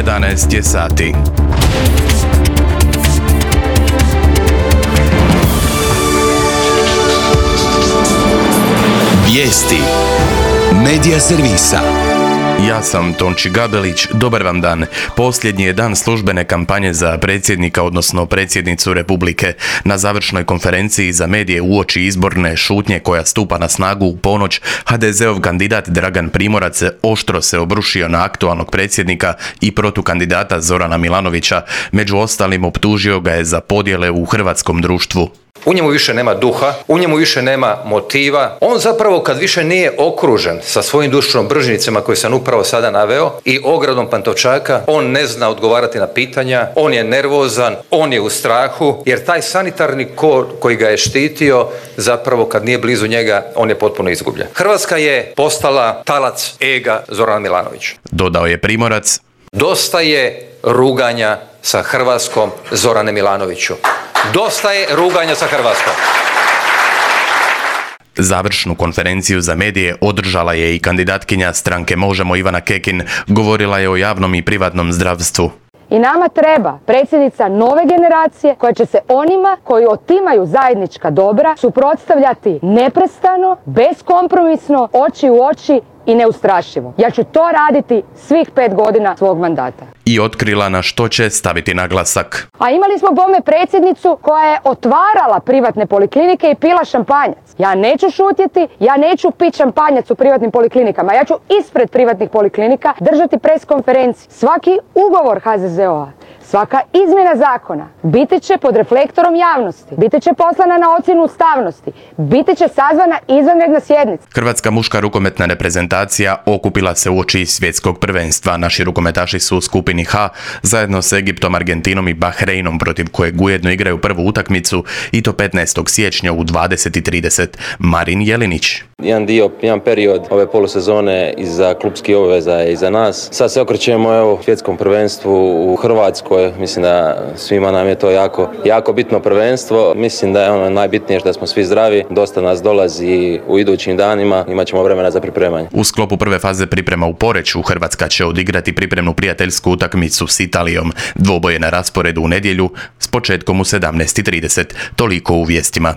11 je sati. Vijesti Medija servisa. Ja sam Tonči Gabelić, dobar vam dan. Posljednji je dan službene kampanje za predsjednika, odnosno predsjednicu Republike. Na završnoj konferenciji za medije uoči izborne šutnje koja stupa na snagu u ponoć, HDZ-ov kandidat Dragan Primorac oštro se obrušio na aktualnog predsjednika i protukandidata Zorana Milanovića. Među ostalim optužio ga je za podjele u hrvatskom društvu. U njemu više nema duha, u njemu više nema motiva. On zapravo kad više nije okružen sa svojim dušobrižnicima koje sam upravo sada naveo i ogradom Pantovčaka, on ne zna odgovarati na pitanja, on je nervozan, on je u strahu, jer taj sanitarni kor koji ga je štitio, zapravo kad nije blizu njega, on je potpuno izgubljen. Hrvatska je postala talac ega Zorana Milanovića. Dodao je Primorac. Dosta je ruganja sa Hrvatskom, Zorane Milanoviću. Dosta je ruganja sa Hrvatskom. Završnu konferenciju za medije održala je i kandidatkinja stranke Možemo Ivana Kekin. Govorila je o javnom i privatnom zdravstvu. I nama treba predsjednica nove generacije koja će se onima koji otimaju zajednička dobra suprotstavljati neprestano, beskompromisno, oči u oči i neustrašivo. Ja ću to raditi svih 5 godina svog mandata. I otkrila na što će staviti naglasak. A imali smo bome predsjednicu koja je otvarala privatne poliklinike i pila šampanjac. Ja neću šutjeti, ja neću piti šampanjac u privatnim poliklinikama. Ja ću ispred privatnih poliklinika držati pres konferenciju. Svaki ugovor HZZO-a, svaka izmjena zakona biti će pod reflektorom javnosti, biti će poslana na ocjenu ustavnosti, biti će sazvana izvanredna sjednica. Hrvatska muška rukometna reprezentacija okupila se uoči svjetskog prvenstva. Naši rukometaši su u skupini H zajedno s Egiptom, Argentinom i Bahreinom, protiv kojeg ujedno igraju prvu utakmicu i to 15. siječnja u 20:30. Marin Jelinić. Jedan period ove polusezone iza klubskih obveza je iza nas. Sad se okrećemo svjetskom prvenstvu u Hrvatskoj. Mislim da svima nam je to jako bitno prvenstvo. Mislim da je ono najbitnije da smo svi zdravi. Dosta nas dolazi u idućim danima. Imat ćemo vremena za pripremanje. U sklopu prve faze priprema u Poreču Hrvatska će odigrati pripremnu prijateljsku utakmicu s Italijom. Dvoboj je na rasporedu u nedjelju s početkom u 17:30. Toliko u vijestima.